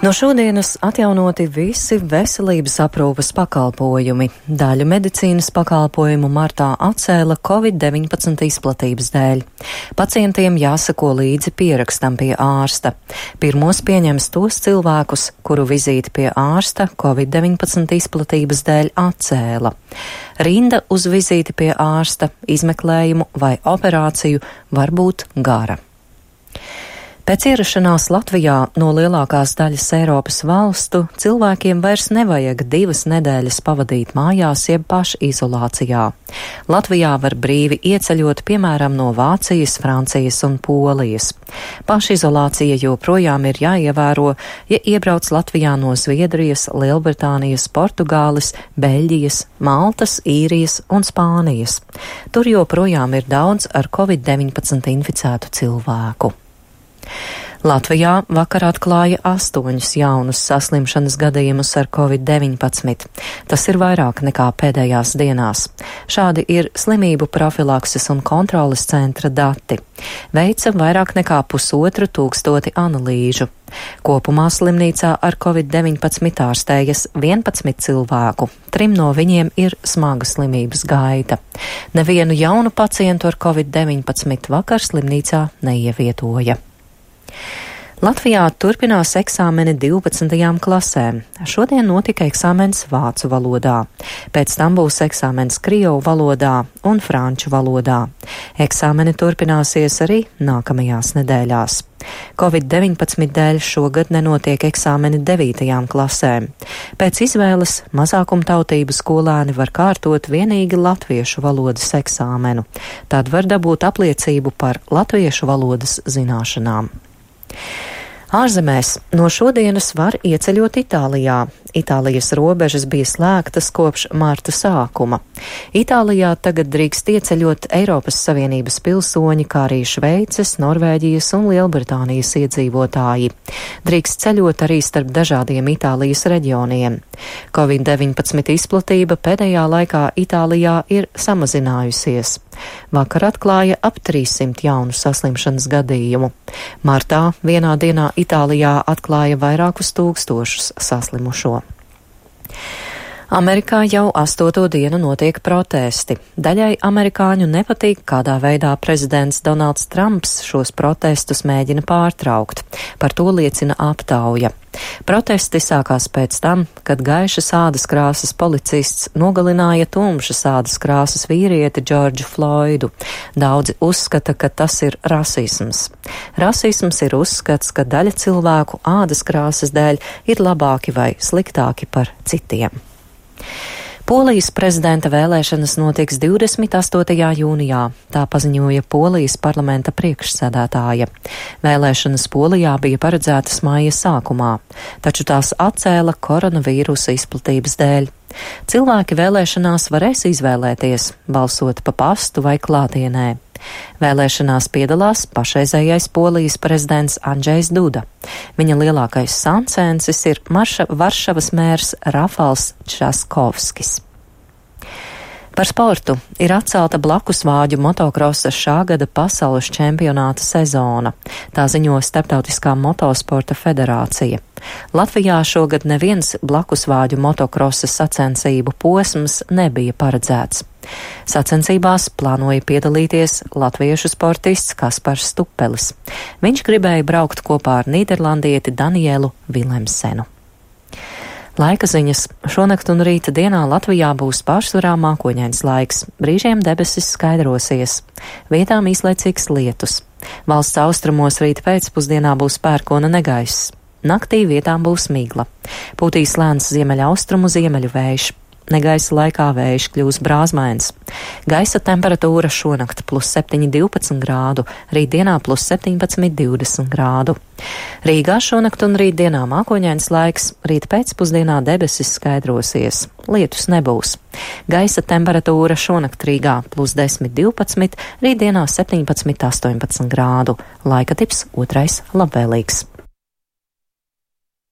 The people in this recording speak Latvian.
No šodienas atjaunoti visi veselības aprūpes pakalpojumi. Daļu medicīnas pakalpojumu martā atcēla Covid-19 izplatības dēļ. Pacientiem jāsako līdzi pierakstam pie ārsta. Pirmos pieņems tos cilvēkus, kuru vizīti pie ārsta Covid-19 izplatības dēļ atcēla. Rinda uz vizīti pie ārsta, izmeklējumu vai operāciju var būt gara. Pēc ierašanās Latvijā no lielākās daļas Eiropas valstu cilvēkiem vairs nevajag 2 nedēļas pavadīt mājās jeb pašizolācijā. Latvijā var brīvi ieceļot, piemēram, no Vācijas, Francijas un Polijas. Pašizolācija joprojām ir jāievēro, ja iebrauc Latvijā no Zviedrijas, Lielbritānijas, Portugāles, Beļģijas, Maltas, Īrijas un Spānijas. Tur joprojām ir daudz ar Covid-19 inficētu cilvēku. Latvijā vakar atklāja 8 jaunus saslimšanas gadījumus ar Covid-19. Tas ir vairāk nekā pēdējās dienās. Šādi ir slimību profilakses un kontroles centra dati. Veica vairāk nekā 1500 analīžu. Kopumā slimnīcā ar Covid-19 ārstējas 11 cilvēku. 3 no viņiem ir smaga slimības gaita. Nevienu jaunu pacientu ar Covid-19 vakar slimnīcā neievietoja. Latvijā turpinās eksāmeni 12. klasēm. Šodien notika eksāmens vācu valodā. Pēc tam būs eksāmens krievu valodā un franču valodā. Eksāmeni turpināsies arī nākamajās nedēļās. Covid-19 dēļ šogad nenotiek eksāmeni 9. klasēm. Pēc izvēles mazākumtautību skolēni var kārtot vienīgi latviešu valodas eksāmenu. Tad var dabūt apliecību par latviešu valodas zināšanām. Ārzemēs no šodienas var ieceļot Itālijā. Itālijas robežas bija slēgtas kopš marta sākuma. Itālijā tagad drīkst ieceļot Eiropas Savienības pilsoņi, kā arī Šveices, Norvēģijas un Lielbritānijas iedzīvotāji. Drīkst ceļot arī starp dažādiem Itālijas reģioniem. Covid-19 izplatība pēdējā laikā Itālijā ir samazinājusies. Vakar atklāja ap 300 jaunu saslimšanas gadījumu. Martā vienā dienā Itālijā atklāja vairākus tūkstošus saslimušo. Amerikā jau 8. dienu notiek protesti. Daļai amerikāņu nepatīk, kādā veidā prezidents Donalds Trumps šos protestus mēģina pārtraukt. Par to liecina aptauja. Protesti sākās pēc tam, kad gaišas ādas krāsas policists nogalināja tumšas ādas krāsas vīrieti Džordžu Floydu. Daudzi uzskata, ka tas ir rasisms. Rasisms ir uzskats, ka daļa cilvēku ādas krāsas dēļ ir labāki vai sliktāki par citiem. Polijas prezidenta vēlēšanas notiks 28. jūnijā, tā paziņoja Polijas parlamenta priekšsēdētāja. Vēlēšanas Polijā bija paredzētas māja sākumā, taču tās atcēla koronavīrusa izplatības dēļ. Cilvēki vēlēšanās varēs izvēlēties, balsot pa pastu vai klātienē. Vēlēšanās piedalās pašreizējais Polijas prezidents Andžejs Duda. Viņa lielākais sancēnsis ir Varšavas mērs Rafals Časkovskis. Par sportu ir atcelta blakusvāģu motokrosa šā gada pasaules čempionāta sezona. Tā ziņo Starptautiskā motosporta federācija. Latvijā šogad neviens blakusvāģu motokrosa sacensību posms nebija paredzēts. Sacensībās plānoja piedalīties latviešu sportists Kaspars Stupelis. Viņš gribēja braukt kopā ar nīderlandieti Danielu Vilemsenu. Laika ziņas. Šonakt un rīta dienā Latvijā būs pārsvarā mākoņains laiks. Brīžiem debesis skaidrosies. Vietām īslaicīgs lietus. Valsts austrumos rīta pēcpusdienā būs pērkona negaiss. Naktī vietām būs migla. Pūtīs lēns ziemeļaustrumu ziemeļu vējš. Negaisa laikā vējš kļūs brāzmains. Gaisa temperatūra šonakt +7, 12 grādu, rītdienā +17, 20 grādu. Rīgā šonakt un rītdienā mākoņains laiks, rīt pēcpusdienā debesis skaidrosies. Lietus nebūs. Gaisa temperatūra šonakt Rīgā +10, 12, rītdienā 17, 18 grādu. Laika tips otrais labvēlīgs.